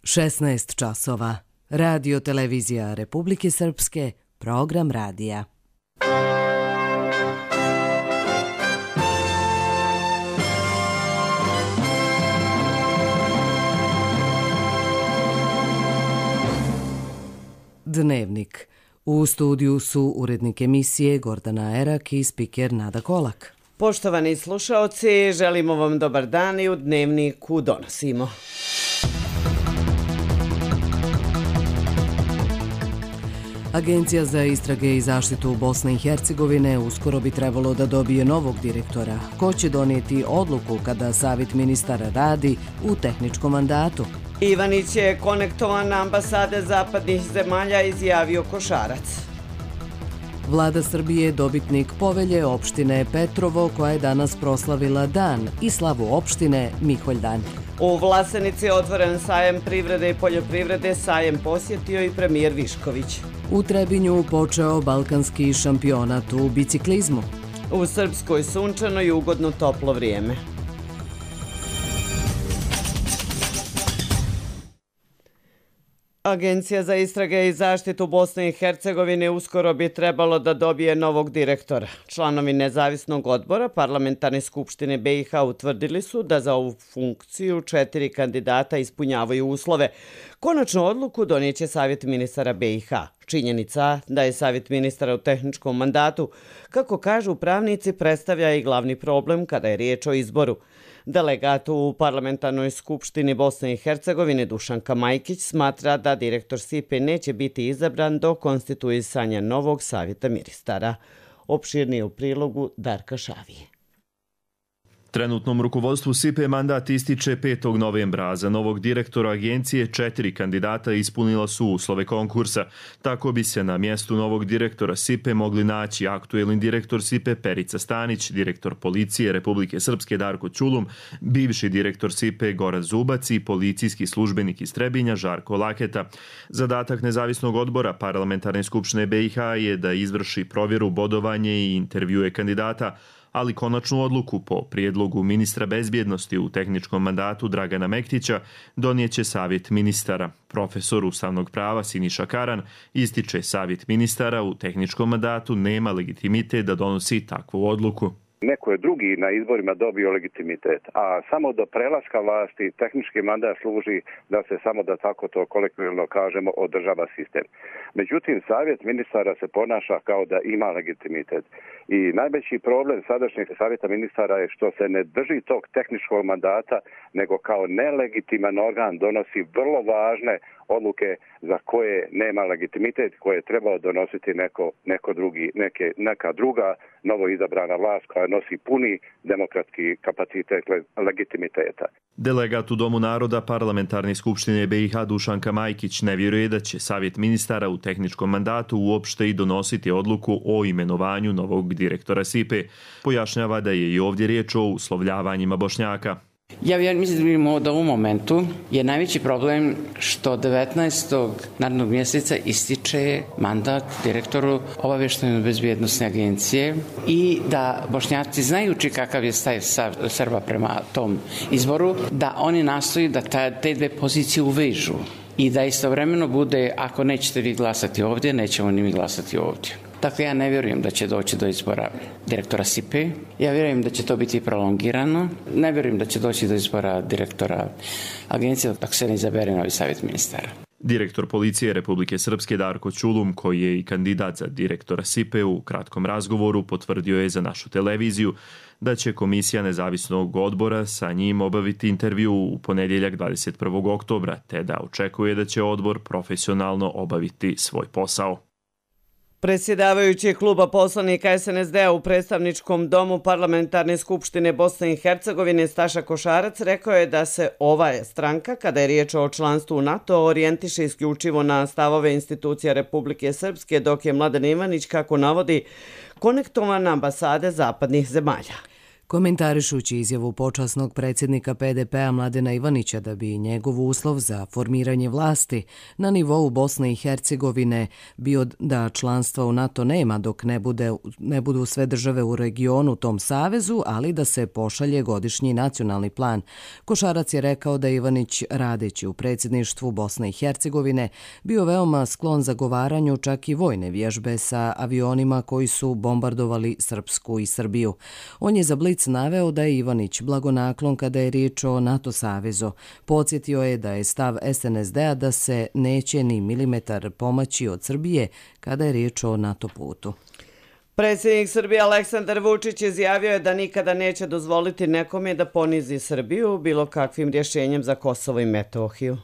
16 časova. Radio televizija Republike Srpske, program radija. Dnevnik. U studiju su urednik emisije Gordana Erak i spiker Nada Kolak. Poštovani slušaoci, želimo vam dobar dan i u Dnevniku donosimo. Agencija za istrage i zaštitu Bosne i Hercegovine uskoro bi trebalo da dobije novog direktora. Ko će donijeti odluku kada Savjet ministara radi u tehničkom mandatu? Ivanić je konektovan na ambasade zapadnih zemalja, izjavio Košarac. Vlada Srbije je dobitnik povelje opštine Petrovo, koja je danas proslavila dan i slavu opštine Miholjdan. U Vlasenici je otvoren sajem privrede i poljoprivrede, sajem posjetio i premijer Višković. U Trebinju počeo balkanski šampionat u biciklizmu. U Srpskoj sunčano i ugodno toplo vrijeme. Agencija za istrage i zaštitu Bosne i Hercegovine uskoro bi trebalo da dobije novog direktora. Članovi nezavisnog odbora Parlamentarne skupštine BiH utvrdili su da za ovu funkciju 4 kandidata ispunjavaju uslove. Konačnu odluku donijeće Savjet ministara BiH. Činjenica da je Savjet ministara u tehničkom mandatu, kako kažu pravnici, predstavlja i glavni problem kada je riječ o izboru. Delegat u Parlamentarnoj skupštini Bosne i Hercegovine Dušanka Majkić smatra da direktor SIPE neće biti izabran do konstituisanja novog savjeta ministara. Opširnije u prilogu Darka Šavije. Trenutnom rukovodstvu SIPE mandat ističe 5. novembra, a za novog direktora agencije 4 kandidata ispunila su uslove konkursa. Tako bi se na mjestu novog direktora SIPE mogli naći aktuelni direktor SIPE Perica Stanić, direktor policije Republike Srpske Darko Ćulum, bivši direktor SIPE Goran Zubac i policijski službenik iz Trebinja Žarko Laketa. Zadatak nezavisnog odbora Parlamentarne skupštine BiH je da izvrši provjeru, bodovanje i intervjue kandidata, ali konačnu odluku po prijedlogu ministra bezbjednosti u tehničkom mandatu Dragana Mektića donijeće Savjet ministara. Profesor ustavnog prava Siniša Karan ističe Savjet ministara u tehničkom mandatu nema legitimitet da donosi takvu odluku. Neko je drugi na izborima dobio legitimitet, a samo do prelaska vlasti tehnički mandat služi da se samo da tako to kolektivno kažemo održava sistem. Međutim, Savjet ministara se ponaša kao da ima legitimitet. I najveći problem sadašnjeg Savjeta ministara je što se ne drži tog tehničkog mandata, nego kao nelegitiman organ donosi vrlo važne odluke za koje nema legitimitet, koje je trebao donositi neka druga novo izabrana vlast koja nosi puni demokratski kapacitet legitimiteta. Delegat u Domu naroda Parlamentarne skupštine BiH Dušanka Majkić ne vjeruje da će Savjet ministara u tehničkom mandatu uopšte i donositi odluku o imenovanju novog direktora SIPE. Pojašnjava da je i ovdje riječ o uslovljavanjima Bošnjaka. Ja mislim da u momentu je najveći problem što 19. narednog mjeseca ističe mandat direktoru obavještajno-bezbjednosne agencije i da Bošnjaci znajući kakav je stav Srba prema tom izboru, da oni nastoji da te dve pozicije uvežu i da istovremeno bude ako nećete vi glasati ovdje, nećemo ni mi glasati ovdje. Dakle, ja ne vjerujem da će doći do izbora direktora SIPE. Ja vjerujem da će to biti prolongirano. Ne vjerujem da će doći do izbora direktora agencije dok se ne izabere novi savjet ministara. Direktor policije Republike Srpske Darko Ćulum, koji je i kandidat za direktora SIPE, u kratkom razgovoru potvrdio je za našu televiziju da će komisija nezavisnog odbora sa njim obaviti intervju u ponedjeljak 21. oktobra, te da očekuje da će odbor profesionalno obaviti svoj posao. Predsjedavajući kluba poslanika SNSD-a u predstavničkom domu Parlamentarne skupštine Bosne i Hercegovine Staša Košarac rekao je da se ova stranka, kada je riječ o članstvu u NATO, orijentiše isključivo na stavove institucija Republike Srpske, dok je Mladen Ivanić, kako navodi, konektovan na ambasade zapadnih zemalja. Komentarišući izjavu počasnog predsjednika PDP-a Mladena Ivanića da bi njegov uslov za formiranje vlasti na nivou Bosne i Hercegovine bio da članstva u NATO nema dok ne budu sve države u regionu tom savezu, ali da se pošalje godišnji nacionalni plan. Košarac je rekao da Ivanić, radeći u predsjedništvu Bosne i Hercegovine, bio veoma sklon zagovaranju čak i vojne vježbe sa avionima koji su bombardovali Srpsku i Srbiju. On je za Blic naveo da je Ivanić blagonaklon kada je riječ o NATO savezu. Podsjetio je da je stav SNSD-a da se neće ni milimetar pomaći od Srbije kada je riječ o NATO putu. Predsjednik Srbije Aleksandar Vučić izjavio je da nikada neće dozvoliti nekome da ponizi Srbiju bilo kakvim rješenjem za Kosovo i Metohiju.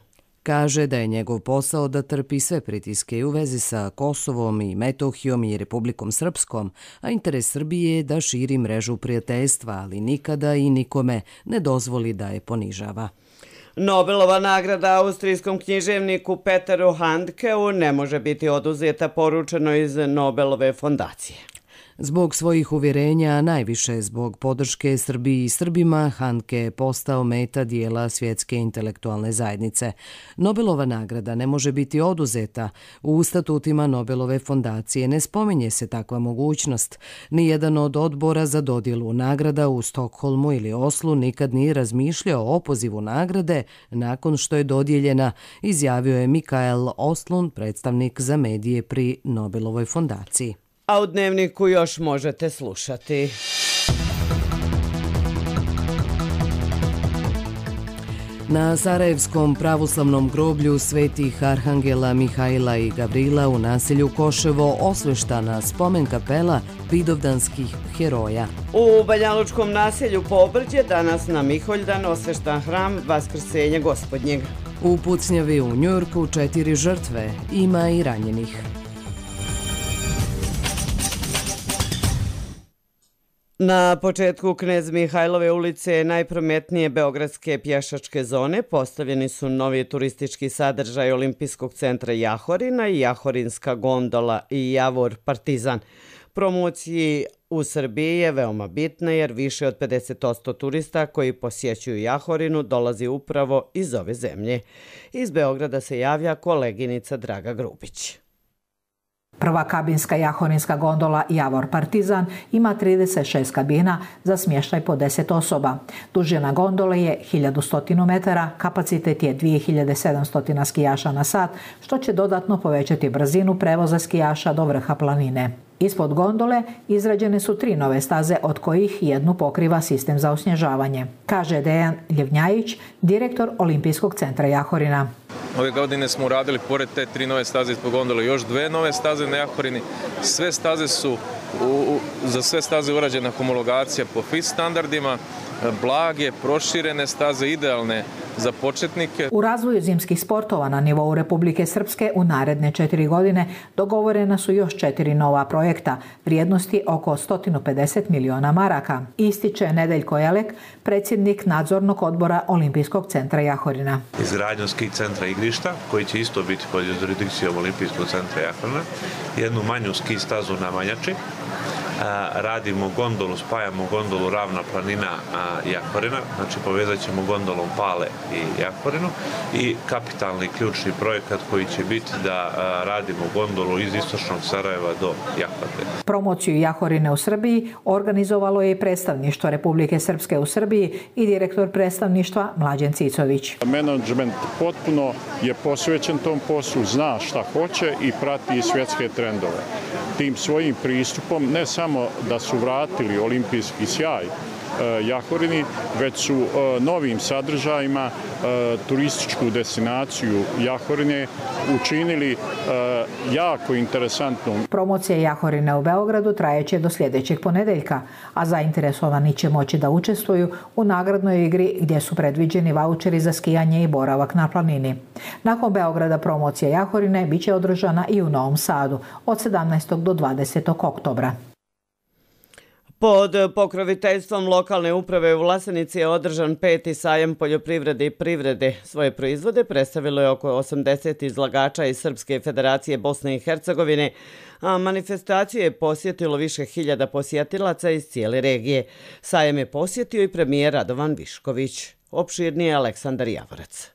Kaže da je njegov posao da trpi sve pritiske u vezi sa Kosovom i Metohijom i Republikom Srpskom, a interes Srbije je da širi mrežu prijateljstva, ali nikada i nikome ne dozvoli da je ponižava. Nobelova nagrada austrijskom književniku Peteru Handkeu ne može biti oduzeta, poručeno iz Nobelove fondacije. Zbog svojih uvjerenja, a najviše zbog podrške Srbiji i Srbima, Handke je postao meta dijela svjetske intelektualne zajednice. Nobelova nagrada ne može biti oduzeta. U statutima Nobelove fondacije ne spominje se takva mogućnost. Nijedan od odbora za dodjelu nagrada u Stokholmu ili Oslu nikad nije razmišljao o opozivu nagrade nakon što je dodijeljena, izjavio je Mikael Oslund, predstavnik za medije pri Nobelovoj fondaciji. A u Dnevniku još možete slušati. Na Sarajevskom pravoslavnom groblju svetih arhangela Mihajla i Gavrila u naselju Koševo osveštana spomen kapela vidovdanskih heroja. U Banjalučkom naselju Pobrđe danas na Miholjdan osveštan hram Vaskrsenja Gospodnjeg. U pucnjavi u Njujorku 4 žrtve, ima i ranjenih. Na početku Knez Mihajlove ulice, najprometnije beogradske pješačke zone, postavljeni su novi turistički sadržaj Olimpijskog centra Jahorina i Jahorinska gondola i Javor Partizan. Promociji u Srbiji je veoma bitna jer više od 50% turista koji posjećuju Jahorinu dolazi upravo iz ove zemlje. Iz Beograda se javlja koleginica Draga Grubić. Prva kabinska jahorinska gondola Javor Partizan ima 36 kabina za smještaj po 10 osoba. Dužina gondole je 1100 metara, kapacitet je 2700 skijaša na sat, što će dodatno povećati brzinu prevoza skijaša do vrha planine. Ispod gondole izrađene su 3 nove staze, od kojih jednu pokriva sistem za osnježavanje, kaže Dejan Ljevnjajić, direktor Olimpijskog centra Jahorina. Ove godine smo uradili, pored te 3 nove staze ispod gondole, još 2 nove staze na Jahorini. Sve staze su, za sve staze urađena homologacija po FIS standardima, blage, proširene staze, idealne za početnike. U razvoju zimskih sportova na nivou Republike Srpske u naredne 4 godine dogovorena su još 4 nova projekta, vrijednosti oko 150 miliona maraka, ističe Nedeljko Jelek, predsjednik nadzornog odbora Olimpijskog centra Jahorina. Izgradnju ski centra igrišta, koji će isto biti pod jurisdikcijom Olimpijskog centra Jahorina, jednu manju ski stazu na Manjači, radimo gondolu, spajamo gondolu Ravna planina Jahorina, znači povezat ćemo gondolom Pale i Jahorinu, i kapitalni ključni projekat koji će biti da radimo gondolu iz istočnog Sarajeva do Jahorine. Promociju Jahorine u Srbiji organizovalo je i predstavništvo Republike Srpske u Srbiji i direktor predstavništva Mlađen Cicović. Menadžment potpuno je posvećen tom poslu, zna šta hoće i prati svjetske trendove. Tim svojim pristupom ne samo da su vratili olimpijski sjaj Jahorini, već su novim sadržajima turističku destinaciju Jahorine učinili jako interesantnom. Promocija Jahorine u Beogradu trajeće do sljedećeg ponedeljka, a zainteresovani će moći da učestvuju u nagradnoj igri gdje su predviđeni vaučeri za skijanje i boravak na planini. Nakon Beograda promocija Jahorine biće održana i u Novom Sadu od 17. do 20. oktobra. Pod pokroviteljstvom lokalne uprave u Vlasenici je održan 5. sajam poljoprivrede i privrede. Svoje proizvode predstavilo je oko 80 izlagača iz Srpske federacije Bosne i Hercegovine, a manifestaciju je posjetilo više hiljada posjetilaca iz cijele regije. Sajam je posjetio i premijer Radovan Višković. Opširnije Aleksandar Javorac.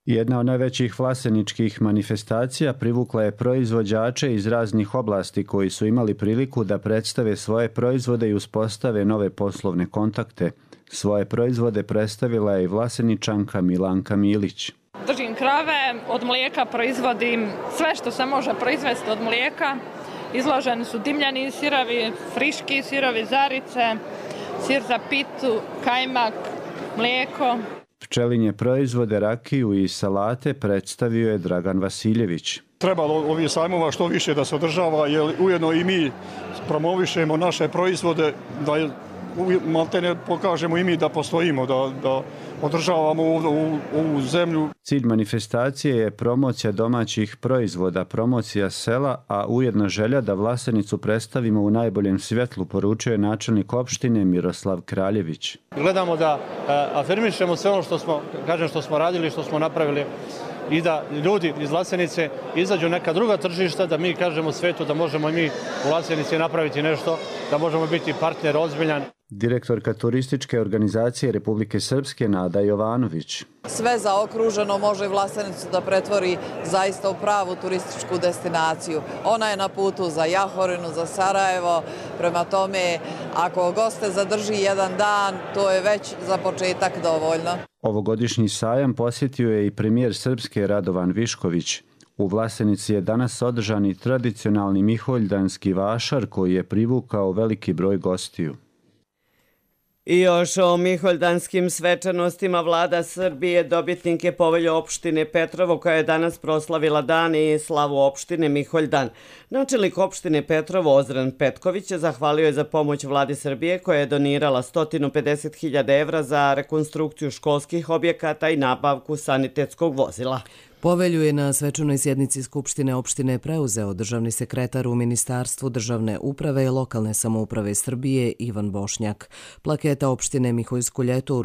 Jedna od najvećih vlaseničkih manifestacija privukla je proizvođače iz raznih oblasti koji su imali priliku da predstave svoje proizvode i uspostave nove poslovne kontakte. Svoje proizvode predstavila je i Vlaseničanka Milanka Milić. Držim krave, od mlijeka proizvodim sve što se može proizvesti od mlijeka. Izloženi su dimljani sirovi, friški sirovi, zarice, sir za pitu, kajmak, mlijeko. Pčelinje proizvode, rakiju i salate predstavio je Dragan Vasiljević. Trebalo ovih sajmova što više da se održava, jer ujedno i mi promovišemo naše proizvode, da maltene pokažemo i mi da postojimo, da održavamo ovu zemlju. Cilj manifestacije je promocija domaćih proizvoda, promocija sela, a ujedno želja da Vlasenicu predstavimo u najboljem svjetlu, poručuje načelnik opštine Miroslav Kraljević. Gledamo da afirmišemo sve ono što smo radili, što smo napravili i da ljudi iz Vlasenice izađu neka druga tržišta, da mi kažemo svetu da možemo i mi u Vlasenici napraviti nešto, da možemo biti partner ozbiljan. Direktorka turističke organizacije Republike Srpske Nada Jovanović. Sve zaokruženo može Vlasenicu da pretvori zaista u pravu turističku destinaciju. Ona je na putu za Jahorinu, za Sarajevo, prema tome ako goste zadrži jedan dan, to je već za početak dovoljno. Ovogodišnji sajam posjetio je i premijer Srpske Radovan Višković. U Vlasenici je danas održan i tradicionalni miholjdanski vašar koji je privukao veliki broj gostiju. I još o miholjdanskim svečanostima vlada Srbije dobitnik je povelje opštine Petrovo koja je danas proslavila dan i slavu opštine Miholjdan. Načelnik opštine Petrovo Ozren Petković zahvalio je za pomoć vladi Srbije koja je donirala 150.000 evra za rekonstrukciju školskih objekata i nabavku sanitetskog vozila. Povelju je na svečanoj sjednici Skupštine opštine preuzeo državni sekretar u Ministarstvu državne uprave i lokalne samouprave Srbije Ivan Bošnjak. Plaketa opštine Miholjsko ljeto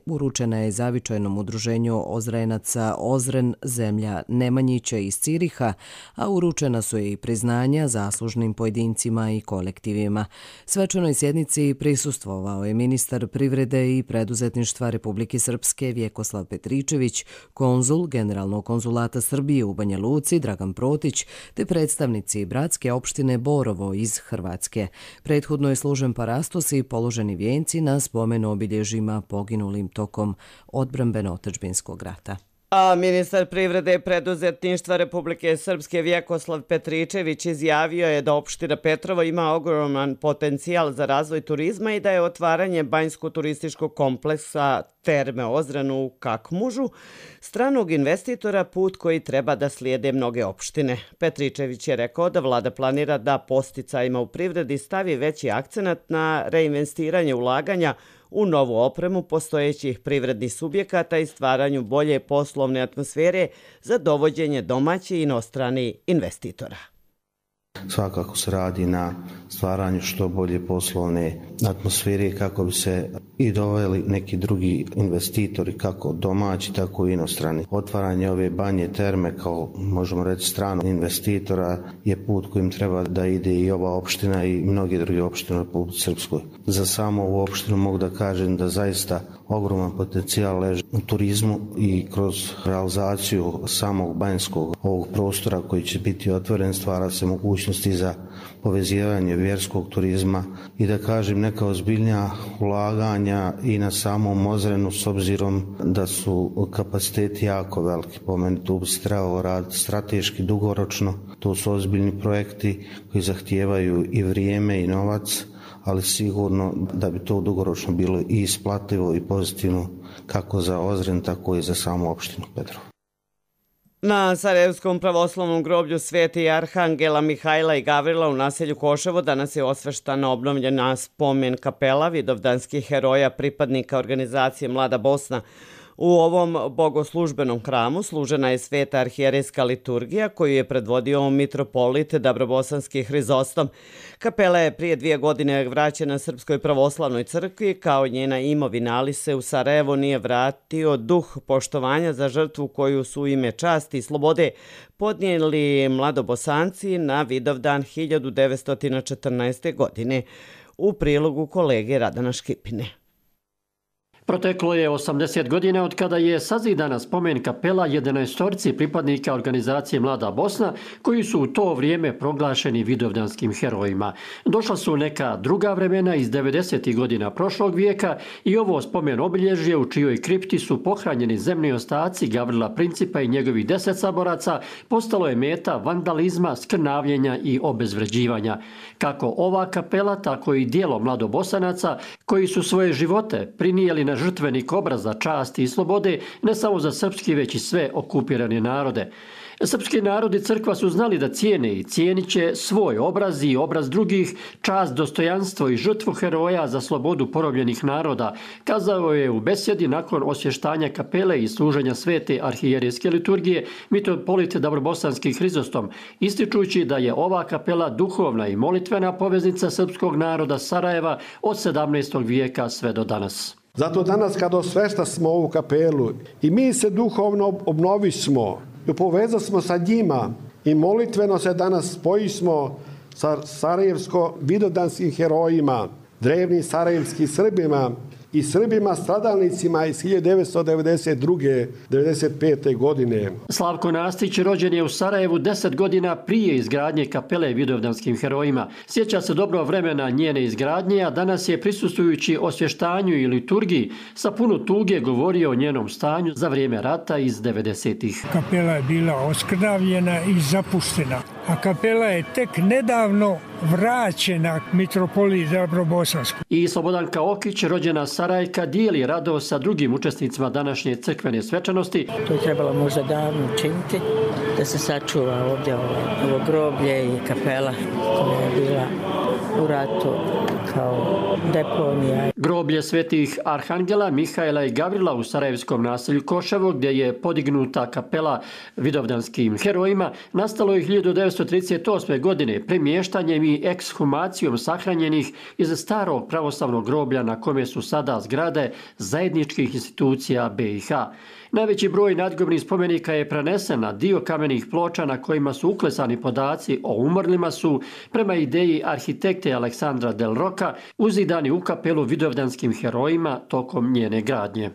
uručena je zavičajnom udruženju Ozrenaca Ozren zemlja Nemanjića iz Ciriha, a uručena su i priznanja zaslužnim pojedincima i kolektivima. Svečanoj sjednici prisustvovao je ministar privrede i preduzetništva Republike Srpske Vjekoslav Petričević, konzul generalnog konzulata Srbije u Banja Luci Dragan Protić te predstavnici bratske opštine Borovo iz Hrvatske. Prethodno je služen parastos i položeni vijenci na spomen obilježjima poginulim tokom odbrambeno-otadžbinskog rata. A ministar privrede i preduzetništva Republike Srpske Vjekoslav Petričević izjavio je da opština Petrovo ima ogroman potencijal za razvoj turizma i da je otvaranje banjsko-turističkog kompleksa Terme Ozren u Kakmužu stranog investitora put koji treba da slijede mnoge opštine. Petričević je rekao da vlada planira da posticajima u privredi stavi veći akcenat na reinvestiranje ulaganja u novu opremu postojećih privrednih subjekata i stvaranju bolje poslovne atmosfere za dovođenje domaćih i inostranih investitora. Svakako se radi na stvaranju što bolje poslovne atmosfere kako bi se i doveli neki drugi investitori, kako domaći, tako i inostrani. Otvaranje ove banje terme kao, možemo reći, stranog investitora je put kojim treba da ide i ova opština i mnoge druge opštine u Republici Srpskoj. Za samo ovu opštinu mogu da kažem da zaista ogroman potencijal leži u turizmu i kroz realizaciju samog banjskog ovog prostora koji će biti otvoren stvara se mogućnosti za povezivanje vjerskog turizma i da kažem neka ozbiljnija ulaganja i na samom Ozrenu s obzirom da su kapaciteti jako veliki. Po meni tu bi se trebalo raditi strateški, dugoročno. To su ozbiljni projekti koji zahtijevaju i vrijeme i novac, ali sigurno da bi to dugoročno bilo i isplativo i pozitivno kako za Ozren, tako i za samu opštinu Petrovo. Na Sarajevskom pravoslavnom groblju Sveti Arhangela Mihajla i Gavrila u naselju Koševo danas je osveštana obnovljena spomen kapela vidovdanskih heroja pripadnika organizacije Mlada Bosna. U ovom bogoslužbenom hramu služena je sveta arhijerejska liturgija koju je predvodio mitropolit Dabrobosanski Hrizostom. Kapela je prije 2 godine vraćena Srpskoj pravoslavnoj crkvi kao njena imovina, ali se u Sarajevo nije vratio duh poštovanja za žrtvu koju su u ime časti i slobode podnijeli mladobosanci na Vidovdan 1914. godine. U prilogu kolege Radana Škipine. Proteklo je 80 godina od kada je sazidana spomen kapela 11 pripadnika organizacije Mlada Bosna koji su u to vrijeme proglašeni vidovdanskim herojima. Došla su neka druga vremena iz 90. godina prošlog vijeka i ovo spomen obilježje u čijoj kripti su pohranjeni zemni ostaci Gavrila Principa i njegovih 10 saboraca postalo je meta vandalizma, skrnavljenja i obezvređivanja. Kako ova kapela, tako i dijelo mladobosanaca koji su svoje živote prinijeli na žrtvenik obraza časti i slobode ne samo za srpski, već i sve okupirane narode. Srpski narod i crkva su znali da cijene i cijenit će svoj obraz i obraz drugih, čast, dostojanstvo i žrtvu heroja za slobodu porobljenih naroda, kazao je u besjedi nakon osvještanja kapele i služenja svete arhijerejske liturgije mitropolit Dabrobosanski Hrizostom, ističući da je ova kapela duhovna i molitvena poveznica srpskog naroda Sarajeva od 17. vijeka sve do danas. Zato danas kad osvešta smo ovu kapelu i mi se duhovno obnovismo i povezasmo sa njima i molitveno se danas spojismo sa sarajevsko-vidovdanskim herojima, drevnim sarajevskim Srbima i Srbima stradalnicima iz 1992-95. godine. Slavko Nastić rođen je u Sarajevu 10 godina prije izgradnje kapele vidovdanskim herojima. Sjeća se dobro vremena njene izgradnje, a danas je prisustvujući osvještanju i liturgiji sa puno tuge govorio o njenom stanju za vrijeme rata iz 90-ih. Kapela je bila oskrnavljena i zapuštena, a kapela je tek nedavno vraćena mitropoliji Dabrobosansku. I Slobodanka Okić, rođena Sarajka, dijeli radost sa drugim učesnicima današnje crkvene svečanosti. To je trebalo možda davno učiniti, da se sačuva ovdje ovo groblje i kapela koja je bila u ratu kao deponija. Groblje svetih Arhangela, Mihajla i Gavrila u sarajevskom naselju Koševo, gdje je podignuta kapela vidovdanskim herojima, nastalo je 1938. godine premještanjem i ekshumacijom sahranjenih iz starog pravoslavnog groblja na kome su sada zgrade zajedničkih institucija BiH. Najveći broj nadgrobnih spomenika je prenesen na dio kamenih ploča na kojima su uklesani podaci o umrlima su, prema ideji arhitekte Aleksandra Del Roka, uzidani u kapelu vidovdanskim herojima tokom njene gradnje.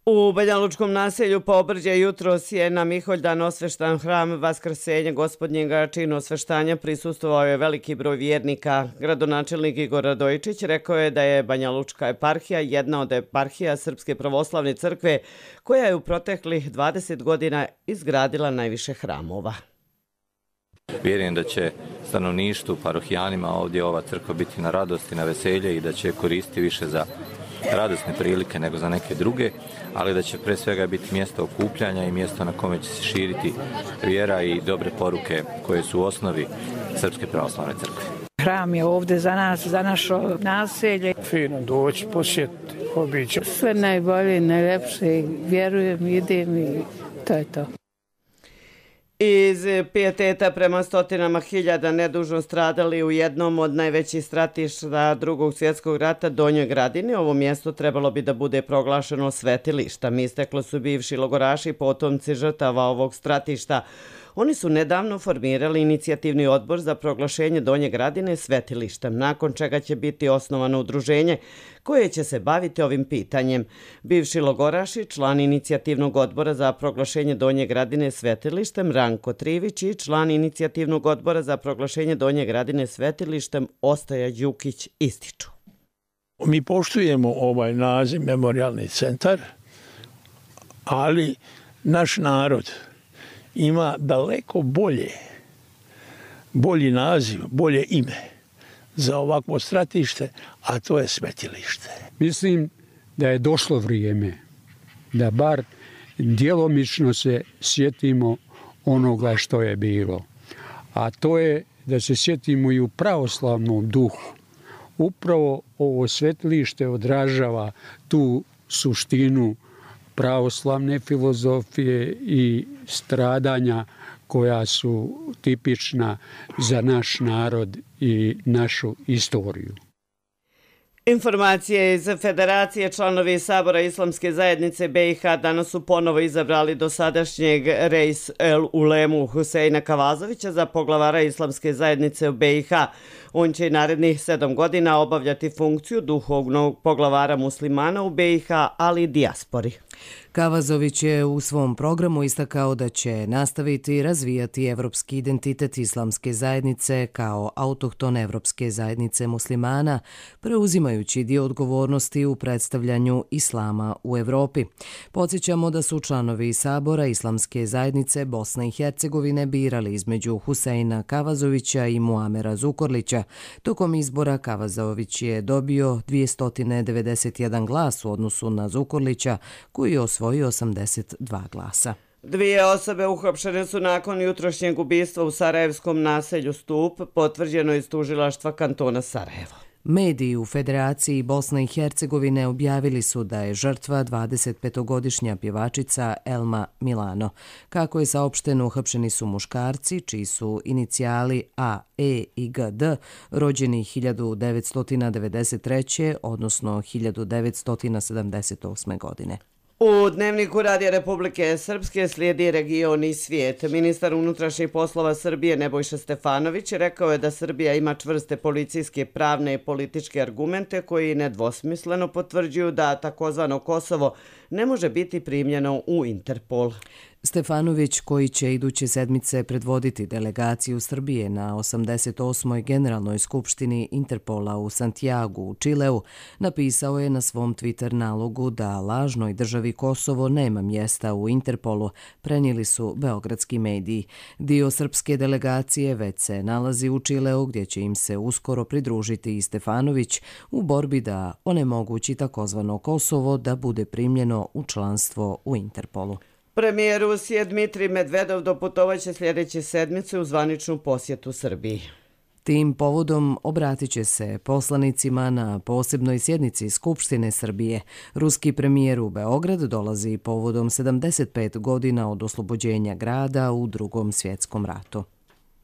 U Banjalučkom naselju Pobrđe jutros je na Miholjdan osveštan hram Vaskrsenja Gospodnjega. Činu osveštanja prisustvovao je veliki broj vjernika. Gradonačelnik Igor Radojičić rekao je da je Banjalučka eparhija jedna od eparhija Srpske pravoslavne crkve koja je u proteklih 20 godina izgradila najviše hramova. Vjerujem da će stanovništvu, parohijanima ovdje ova crkva biti na radost i na veselje i da će koristiti više za radosne prilike nego za neke druge, ali da će pre svega biti mjesto okupljanja i mjesto na kome će se širiti vjera i dobre poruke koje su u osnovi Srpske pravoslavne crkve. Hram je ovdje za nas, za naše naselje. Fino doći, posjetiti, obići. Sve najbolje, najlepše, vjerujem, idem i to je to. Iz pijeteta prema stotinama hiljada nedužno stradali u jednom od najvećih stratišta Drugog svjetskog rata, Donjoj Gradini, ovo mjesto trebalo bi da bude proglašeno svetilištem. Isteklo su bivši logoraši, potomci žrtava ovog stratišta. Oni su nedavno formirali inicijativni odbor za proglašenje Donje Gradine svetilištem, nakon čega će biti osnovano udruženje koje će se baviti ovim pitanjem. Bivši logoraši, član inicijativnog odbora za proglašenje Donje Gradine svetilištem Ranko Trivić i član inicijativnog odbora za proglašenje Donje Gradine svetilištem Ostoja Đukić ističu. Mi poštujemo ovaj naziv Memorijalni centar, ali naš narod ima daleko bolji naziv, bolje ime za ovakvo stratište, a to je svetilište. Mislim da je došlo vrijeme da bar djelomično se sjetimo onoga što je bilo. A to je da se sjetimo i u pravoslavnom duhu. Upravo ovo svetilište odražava tu suštinu pravoslavne filozofije i stradanja koja su tipična za naš narod i našu istoriju. Informacije iz Federacije. Članovi Sabora Islamske zajednice BiH danas su ponovo izabrali dosadašnjeg Reis el Ulemu Huseina Kavazovića za poglavara Islamske zajednice u BiH. On će i narednih 7 godina obavljati funkciju duhovnog poglavara muslimana u BiH, ali i dijaspori. Kavazović je u svom programu istakao da će nastaviti razvijati evropski identitet Islamske zajednice kao autohtone evropske zajednice muslimana, preuzimajući dio odgovornosti u predstavljanju islama u Evropi. Podsjećamo da su članovi Sabora Islamske zajednice Bosne i Hercegovine birali između Huseina Kavazovića i Muamera Zukorlića. Tokom izbora Kavazović je dobio 291 glas u odnosu na Zukorlića, koji je osvojio 82 glasa. 2 osobe uhapšene su nakon jutrošnjeg ubistva u sarajevskom naselju Stup, potvrđeno iz tužilaštva kantona Sarajevo. Mediji u Federaciji Bosne i Hercegovine objavili su da je žrtva 25-godišnja pjevačica Elma Milano. Kako je saopšteno, uhapšeni su muškarci čiji su inicijali A, E i G, D, rođeni 1993. odnosno 1978. godine. U Dnevniku Radija Republike Srpske slijedi region i svijet. Ministar unutrašnjih poslova Srbije Nebojša Stefanović rekao je da Srbija ima čvrste policijske, pravne i političke argumente koji nedvosmisleno potvrđuju da takozvano Kosovo ne može biti primljeno u Interpol. Stefanović, koji će iduće sedmice predvoditi delegaciju Srbije na 88. Generalnoj skupštini Interpola u Santiagu u Čileu, napisao je na svom Twitter nalogu da lažnoj državi Kosovo nema mjesta u Interpolu, prenijeli su beogradski mediji. Dio srpske delegacije već se nalazi u Čileu, gdje će im se uskoro pridružiti i Stefanović u borbi da onemogući takozvano Kosovo da bude primljeno u članstvo u Interpolu. Premijer Rusije Dmitrij Medvedov doputovaće sljedeće sedmice u zvaničnu posjetu Srbiji. Tim povodom obratit će se poslanicima na posebnoj sjednici Skupštine Srbije. Ruski premijer u Beograd dolazi povodom 75 godina od oslobođenja grada u Drugom svjetskom ratu.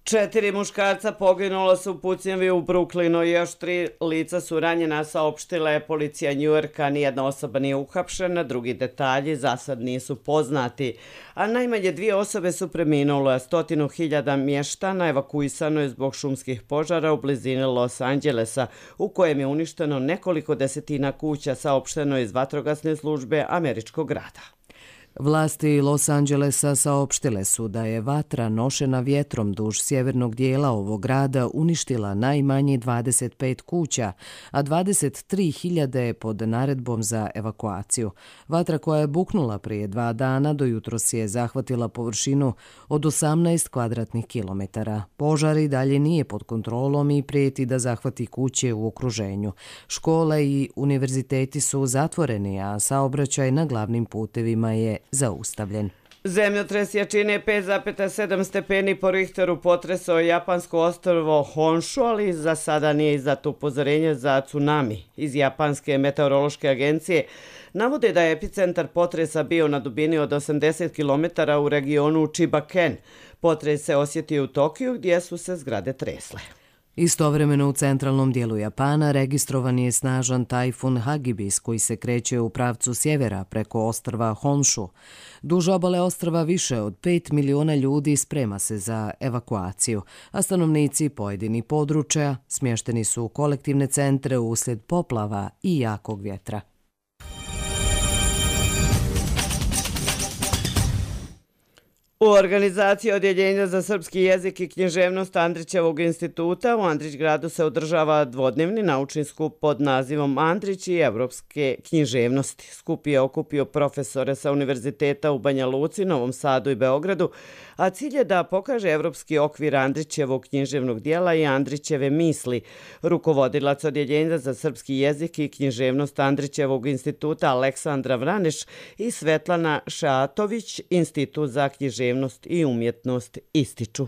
4 muškarca poginula su u pucnjavi u Brooklynu i još 3 lica su ranjena, saopštila je policija Njujorka. Nijedna osoba nije uhapšena, drugi detalji za sad nisu poznati. A najmanje 2 osobe su preminule, 100.000 mještana evakuisano je zbog šumskih požara u blizini Los Angelesa, u kojem je uništeno nekoliko desetina kuća, saopšteno iz vatrogasne službe američkog grada. Vlasti Los Angelesa saopštile su da je vatra nošena vjetrom duž sjevernog dijela ovog grada uništila najmanje 25 kuća, a 23.000 je pod naredbom za evakuaciju. Vatra koja je buknula prije 2 dana do jutros je zahvatila površinu od 18 kvadratnih kilometara. Požar i dalje nije pod kontrolom i prijeti da zahvati kuće u okruženju. Škole i univerziteti su zatvoreni, a saobraćaj na glavnim putevima je zaustavljen. Zemljotres jačine 5,7 stepeni po Richteru potresao japansko ostrvo Honshu, ali za sada nije izdato upozorenje za tsunami. Iz Japanske meteorološke agencije navode da je epicentar potresa bio na dubini od 80 km u regionu Chiba-ken. Potres se osjetio u Tokiju, gdje su se zgrade tresle. Istovremeno u centralnom dijelu Japana registrovan je snažan tajfun Hagibis koji se kreće u pravcu sjevera preko ostrva Honshu. Duž obale ostrva više od 5 miliona ljudi sprema se za evakuaciju, a stanovnici pojedinih područja smješteni su u kolektivne centre uslijed poplava i jakog vjetra. U organizaciji Odjeljenja za srpski jezik i književnost Andrićevog instituta u Andrićgradu se održava dvodnevni naučni skup pod nazivom Andrić i evropske književnosti. Skup je okupio profesore sa univerziteta u Banja Luci, Novom Sadu i Beogradu, a cilj je da pokaže evropski okvir Andrićevog književnog dijela i Andrićeve misli. Rukovodilac Odjeljenja za srpski jezik i književnost Andrićevog instituta Aleksandra Vraneš i Svetlana Šatović, Institut za književnost i umjetnost, ističu.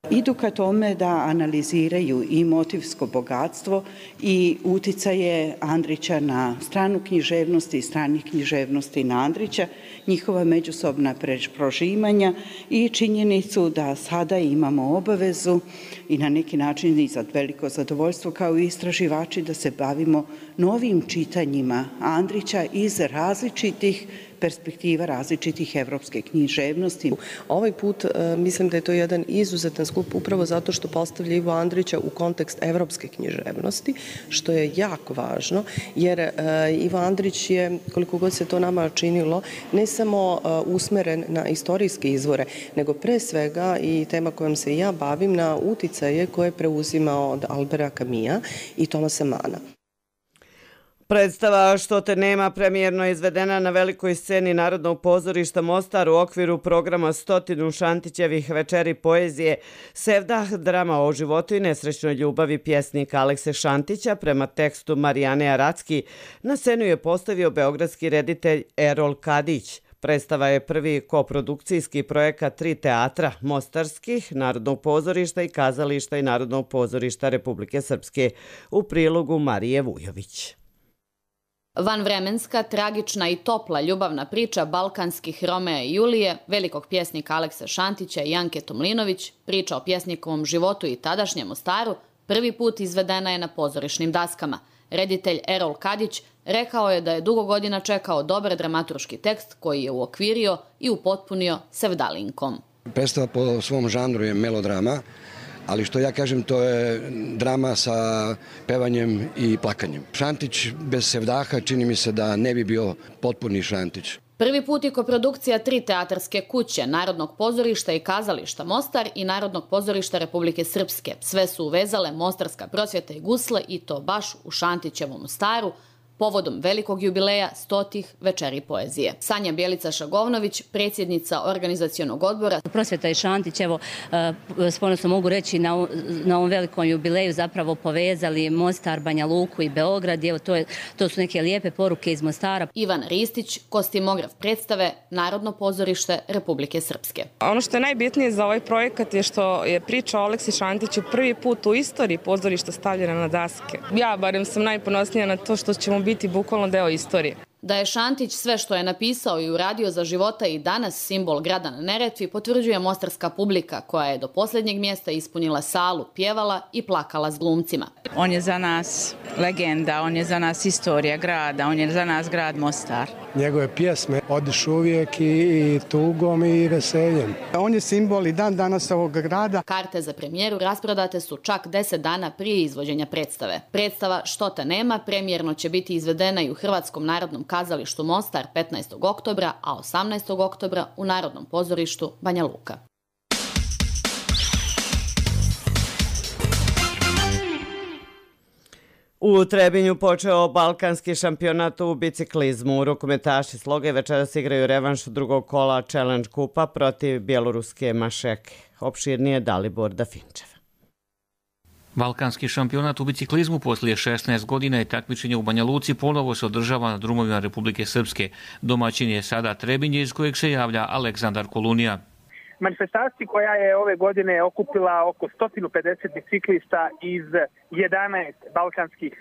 Idu ka tome da analiziraju i motivsko bogatstvo i uticaje Andrića na stranu književnosti i stranih književnosti na Andrića, njihova međusobna prožimanja i činjenicu da sada imamo obavezu i na neki način i za veliko zadovoljstvo kao istraživači da se bavimo novim čitanjima Andrića iz različitih perspektiva, različitih evropske književnosti. Ovaj put mislim da je to jedan izuzetan skup upravo zato što postavlja Ivo Andrića u kontekst evropske književnosti, što je jako važno, jer Ivo Andrić je, koliko god se to nama činilo, ne samo usmeren na istorijske izvore, nego pre svega i tema kojom se ja bavim na uticaje koje je preuzimao od Albera Camusa i Tomasa Mana. Predstava Što te nema premijerno je izvedena na velikoj sceni Narodnog pozorišta Mostar u okviru programa 100 Šantićevih večeri poezije. Sevdah, drama o životu i nesrećnoj ljubavi pjesnika Alekse Šantića prema tekstu Marijane Aracki, na scenu je postavio beogradski reditelj Erol Kadić. Predstava je prvi koprodukcijski projekat 3 teatra, mostarskih, Narodnog pozorišta i kazališta i Narodnog pozorišta Republike Srpske, u prilogu Marije Vujović. Vanvremenska, tragična i topla ljubavna priča balkanskih Romea i Julije, velikog pjesnika Alekse Šantića i Janke Tomlinović, priča o pjesnikovom životu i tadašnjem Mostaru, prvi put izvedena je na pozorišnim daskama. Reditelj Erol Kadić rekao je da je dugo godina čekao dobar dramaturški tekst koji je uokvirio i upotpunio sevdalinkom. Predstava po svom žanru je melodrama, ali što ja kažem, to je drama sa pevanjem i plakanjem. Šantić bez sevdaha čini mi se da ne bi bio potpuni Šantić. Prvi put je koprodukcija 3 teatarske kuće, Narodnog pozorišta i kazališta Mostar i Narodnog pozorišta Republike Srpske. Sve su uvezale Mostarska prosvjeta i gusle i to baš u Šantićevom Mostaru, povodom velikog jubileja 100 večeri poezije. Sanja Bjelica-Šagovnović, predsjednica organizacionog odbora. Prosvjeta i Šantić, evo, s ponosom mogu reći, na ovom velikom jubileju zapravo povezali Mostar, Banja Luku i Beograd. Evo, to su neke lijepe poruke iz Mostara. Ivan Ristić, kostimograf predstave, Narodno pozorište Republike Srpske. Ono što je najbitnije za ovaj projekat je što je priča o Aleksi Šantiću prvi put u istoriji pozorišta stavljena na daske. Ja barem sam najponosnija na to što ćemo biti bukvalno deo istorije. Da je Šantić sve što je napisao i uradio za života i danas simbol grada na Neretvi potvrđuje mostarska publika koja je do posljednjeg mjesta ispunila salu, pjevala i plakala s glumcima. On je za nas legenda, on je za nas istorija grada, on je za nas grad Mostar. Njegove pjesme odišu uvijek i tugom i veseljem. On je simbol i dan danas ovog grada. Karte za premijeru rasprodate su čak 10 dana prije izvođenja predstave. Predstava Što te nema premijerno će biti izvedena i u Hrvatskom narodnom kazalištu Mostar 15. oktobra, a 18. oktobra u Narodnom pozorištu Banja Luka. U Trebinju počeo balkanski šampionat u biciklizmu. Rukometaši Sloge večeras igraju revanš drugog kola Challenge kupa protiv bjeloruske Mašeke. Opširnije Dalibor Dafinčev. Balkanski šampionat u biciklizmu poslije 16 godina i takmičenja u Banja Luci ponovo se održava na drumovima Republike Srpske. Domaćin je sada Trebinje iz kojeg se javlja Aleksandar Kolunija. Manifestaciju koja je ove godine okupila oko 150 biciklista iz 11 balkanskih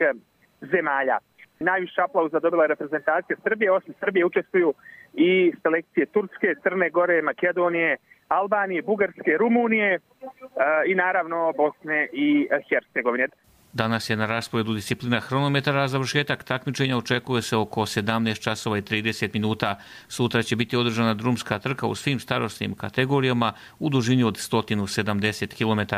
zemalja. Najviše aplauza dobila reprezentacija Srbije, osim Srbije učestvuju i selekcije Turske, Crne Gore, Makedonije, Albanije, Bugarske, Rumunije i naravno Bosne i Hercegovine. Danas je na rasporedu disciplina hronometara, a završetak takmičenja očekuje se oko 17 časova i 30 minuta. Sutra će biti održana drumska trka u svim starosnim kategorijama u dužini od 170 km.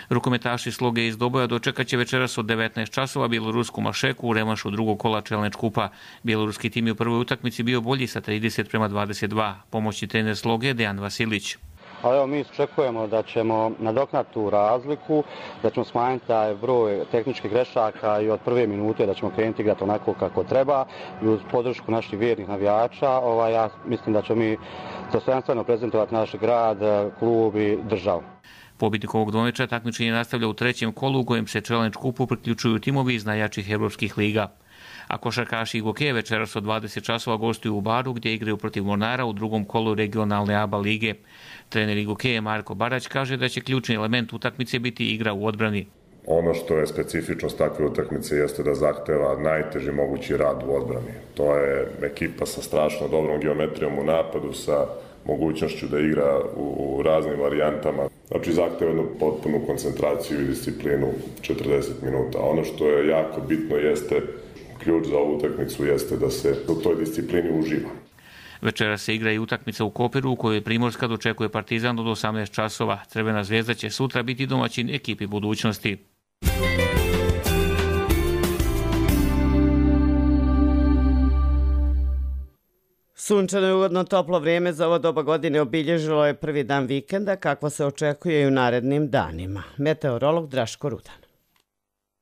Rukometaši Sloge iz Doboja dočekat će večeras od 19 časova bjelorusku Mašeku u revanšu drugog kola Challenge kupa. Bjeloruski tim je u prvoj utakmici bio bolji sa 30:22. Pomoćni trener Sloge Dejan Vasilić. Ali evo, mi očekujemo da ćemo nadoknati tu razliku, da ćemo smanjiti taj broj tehničkih grešaka i od prve minute da ćemo krenuti igrati onako kako treba i uz podršku naših vjernih navijača. Ja mislim da ćemo mi dostojanstveno prezentovati naš grad, klub i državu. Pobjednik ovog dvomeča takmičenje nastavlja u trećem kolu u kojem se Challenge kupu priključuju timovi iz najjačih evropskih liga. A košarkaši Igoke večeras od 20 časova gostuju u Baru gdje igraju protiv Mornara u drugom kolu regionalne ABA lige. Trener Igoke Marko Barać kaže da će ključni element utakmice biti igra u odbrani. Ono što je specifičnost takve utakmice jeste da zahteva najteži mogući rad u odbrani. To je ekipa sa strašno dobrom geometrijom u napadu, sa mogućnošću da igra u raznim varijantama. Znači zahteva jednu potpunu koncentraciju i disciplinu 40 minuta. Ono što je jako bitno jeste, ključ za ovu utakmicu jeste da se u toj disciplini uživa. Večera se igra i utakmica u Koperu u kojoj Primorska dočekuje Partizan od 18 časova. Crvena zvezda će sutra biti domaćin ekipi budućnosti. Sunčano i ugodno toplo vrijeme za ovo doba godine obilježilo je prvi dan vikenda, kakvo se očekuje i u narednim danima. Meteorolog Draško Rudan.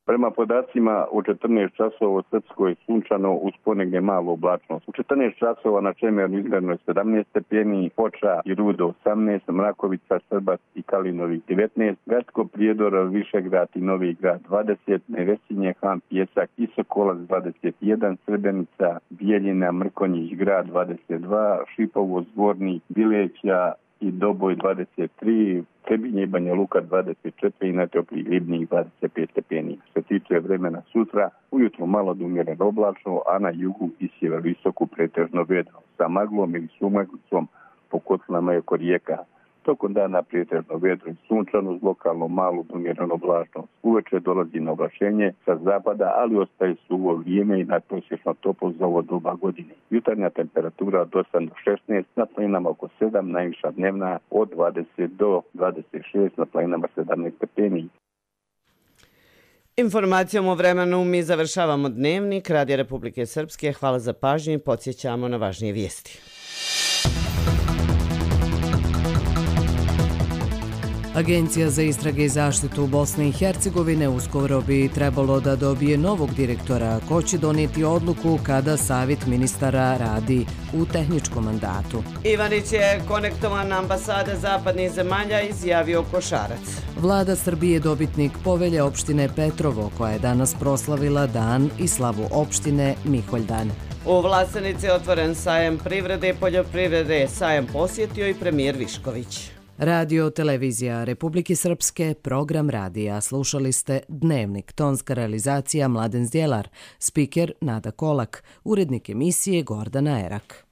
Prema podacima u 14 časova u Srpskoj je sunčano uz ponegne malo oblačnost. U 14 časova na Čemernu izgledno je 17 stepeni, Foča i Rudo 18, Mrakovica, Srbac i Kalinović 19, Gradsko Prijedor, Višegrad i Novi Grad 20, Nevesinje, Han, Pjesak i Sokolac 21, Srebrnica, Bijeljina, Mrkonjić Grad 22, Šipovo, Zvornik, Bileća i Doboj 23, Trebinje i Banja Luka 24 i najtopliji Ribnik 25 stepeni. Što se tiče vremena sutra, ujutro malo do umjereno oblačno, a na jugu i sjeveroistoku pretežno vedro, sa maglom ili sumaglicom po kotlinama i oko rijeka. Tokom dana pretežno vedro i sunčano uz lokalno malu do umjereno oblačno. Uveče dolazi na oblačenje sa zapada, ali ostaje suvo vrijeme i nadprosječno toplo za ovo doba godine. Jutarnja temperatura od 8 do 16, na planinama oko 7, najviša dnevna od 20 do 26, na planinama 17 stepeni. Informacijom o vremenu mi završavamo dnevnik Radija Republike Srpske. Hvala za pažnju i podsjećamo na važnije vijesti. Agencija za istrage i zaštitu Bosne i Hercegovine uskoro bi trebalo da dobije novog direktora, ko će donijeti odluku kada savjet ministara radi u tehničkom mandatu. Ivanić je konektovan na ambasade zapadnih zemalja, izjavio Košarac. Vlada Srbije dobitnik povelje opštine Petrovo, koja je danas proslavila dan i slavu opštine Miholjdan. U Vlasenici je otvoren sajam privrede i poljoprivrede. Sajam posjetio i premijer Višković. Radio Televizija Republike Srpske, program radija. Slušali ste Dnevnik, tonska realizacija Mladen Zdjelar, spiker Nada Kolak, urednik emisije Gordana Erak.